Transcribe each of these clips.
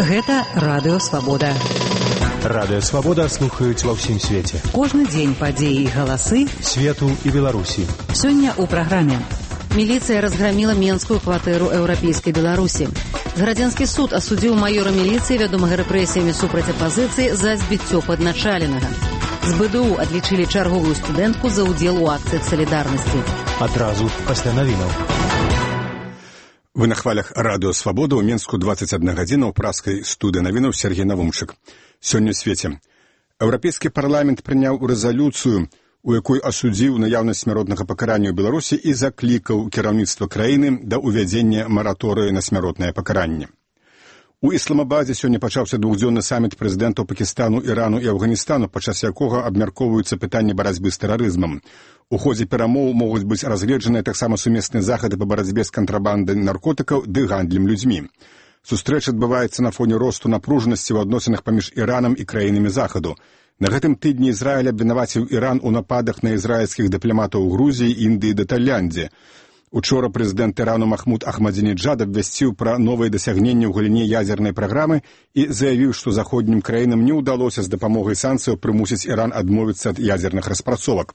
Гэта Радыё Свабода. Радыё Свабода слухаюць ва ўсім свеце. Кожны дзень падзеі і галасы свету і Беларусі. Сёння ў праграме. Міліцыя разграміла менскую кватэру еўрапейскай Беларусі. Градзянскі суд асудзіў маёра міліцыі, вядомага рэпрэсіямі супраць апазіцыі, за збіццё падначаленага. З БДУ адлічылі чарговую студэнтку за ўдзел у акцыях салідарнасці. Адразу пасля навінаў. Вы на хвалях Радыё Свабода, ў Менску 21 гадзіна, ў праскай студыі навінаў Сергей Навумчык. Сёння ў свеце. Еўрапейскі парламент прыняў рэзалюцыю, у якой асудзіў наяўнасць смяротнага пакарання ў Беларусі і заклікаў кіраўніцтва краіны да ўвядзення мараторыю на смяротнае пакаранне. У Ісламабадзе сёння пачаўся двухдзённы саміт прэзідэнтаў Пакістану, Ірану і Афганістану, падчас якога абмяркоўваюцца пытанні барацьбы з тэрарызмам. У ходзе перамоў могуць быць разгледжаныя таксама сумесныя захады па барацьбе з кантрабандай наркотыкаў ды гандлем людзьмі. Сустрэча адбываецца на фоне росту напружанасці ў адносінах паміж Іранам і краінамі Захаду. На гэтым тыдні Ізраіль абвінаваціў Іран у нападах на ізраільскіх дыпламатаў у Грузіі, Індыі ды Тайландзе. Учора прэзідэнт Ірану Махмуд Ахмадзінеджад абвясціў пра новыя дасягненні ў галіне ядзернай праграмы і заявіў, што заходнім краінам не ўдалося з дапамогай санкцыяў прымусіць Іран адмовіцца ад ядзерных распрацовак.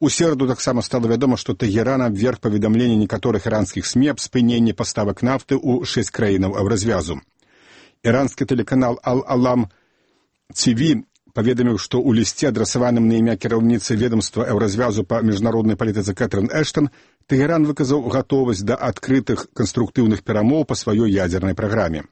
У сераду таксама стала вядома, што Тэгеран абверг паведамленне некаторых іранскіх СМІ аб спыненні паставак нафты ў 6 краінаў еўразвязу. Іранскі тэлеканал Ал-Алам ТВ паведаміў, што ў лісце, адрасаваным на імя кіраўніцы ведамства еўразвязу па міжнароднай палітыцы Кэтрын Эштон, Тэгеран выказаў гатовасць да адкрытых канструктыўных перамоў па сваёй ядзернай праграме.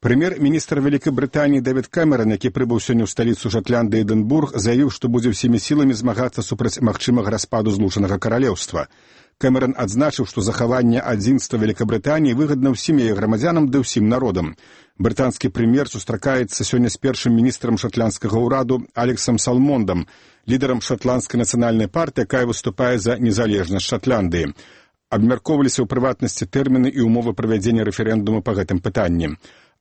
Прэм'ер-міністр Вялікай Брытаніі Дэвід Кэмеран, які прыбыў сёння ў сталіцу Шатландыі Эдынбург, заявіў, што будзе ўсімі сіламі змагацца супраць магчымага распаду Злучанага Каралеўства. Кэмеран адзначыў, што захаванне адзінства Вялікабрытаніі выгадна ўсім яе грамадзянам ды ўсім народам. Брытанскі прэм'ер сустракаецца сёння з першым міністрам шатландскага ўраду Алексам Салмондам, лідарам шатландскай нацыянальнай партыі, якая выступае за незалежнасць Шатландыі. Абмяркоўваліся ў прыватнасці тэрміны і ўмовы правядзення рэферэндуму па гэтым пытанні.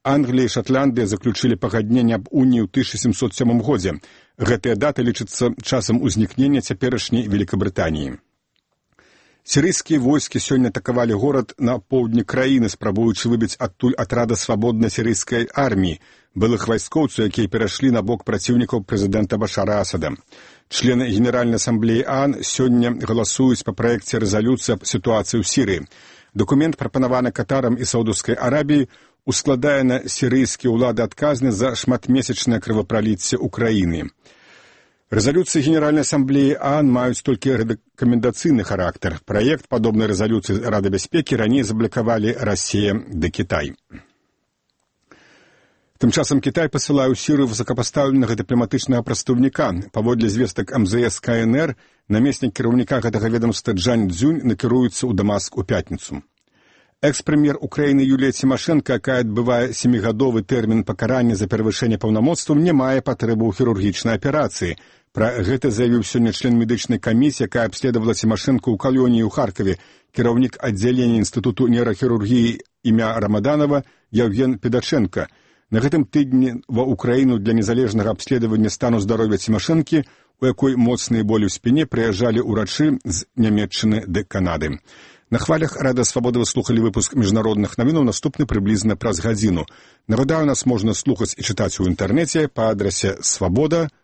Англія і Шатландыя заключылі пагадненне аб уніі ў 1707 годзе. Гэтая дата лічыцца часам узнікнення цяперашняй Великабрытаніі. Сірыйскія войскі сёння атакавалі горад на поўдні краіны, спрабуючы выбіць адтуль атрада свабоднай сірыйскай арміі, былых вайскоўцаў, якія перайшлі на бок праціўнікаў прэзідэнта Башара Асада. Члены Генеральнай асамблеі ААН сёння галасуюць па праекце рэзалюцыі аб сітуацыі ў Сірыі. Дакумент, прапанаваны Катарам і Саудаўскай Арабіяй, ускладае на сірыйскія ўлады адказнасць за шматмесячнае крывапраліцце ўкраіны. Рэзалюцыі Генеральнай асамблеі ААН маюць толькі рэкамендацыйны характар. Праект падобнай рэзалюцыі Рады бяспекі раней заблакавалі Расія ды Кітай. Тым часам Кітай пасылае ў Сірыю высокапастаўленага дыпламатычнага прадстаўніка. Паводле звестак МЗС КНР, намеснік кіраўніка гэтага ведамства Джан Цзюнь накіруецца ў Дамаск у пятніцу. Экс-прэм'ер Украіны Юлія Цімашэнка, якая адбывае 7-гадовы тэрмін пакарання за перавышэнне паўнамоцтваў, не мае патрэбы ў хірургічнай аперацыі. Пра гэта заявіў сёння член медычнай камісіі, якая абследавала Цімашэнку ў калоніі ў Харкаве, кіраўнік аддзялення Інстытуту нейрахірургіі імя Рамаданова Яўген Педачэнка. На гэтым тыдні ва Украіну для незалежнага абследавання стану здароўя Цімашэнкі, у якой моцныя болі ў спіне, прыязджалі ўрачы з Нямецчыны ды Канады. На хвалях Радыё Свабода вы слухалі выпуск міжнародных навінаў, наступны прыблізна праз гадзіну. Нагадаю, нас можна слухаць і чытаць у інтэрнэце па адрасе swaboda.org.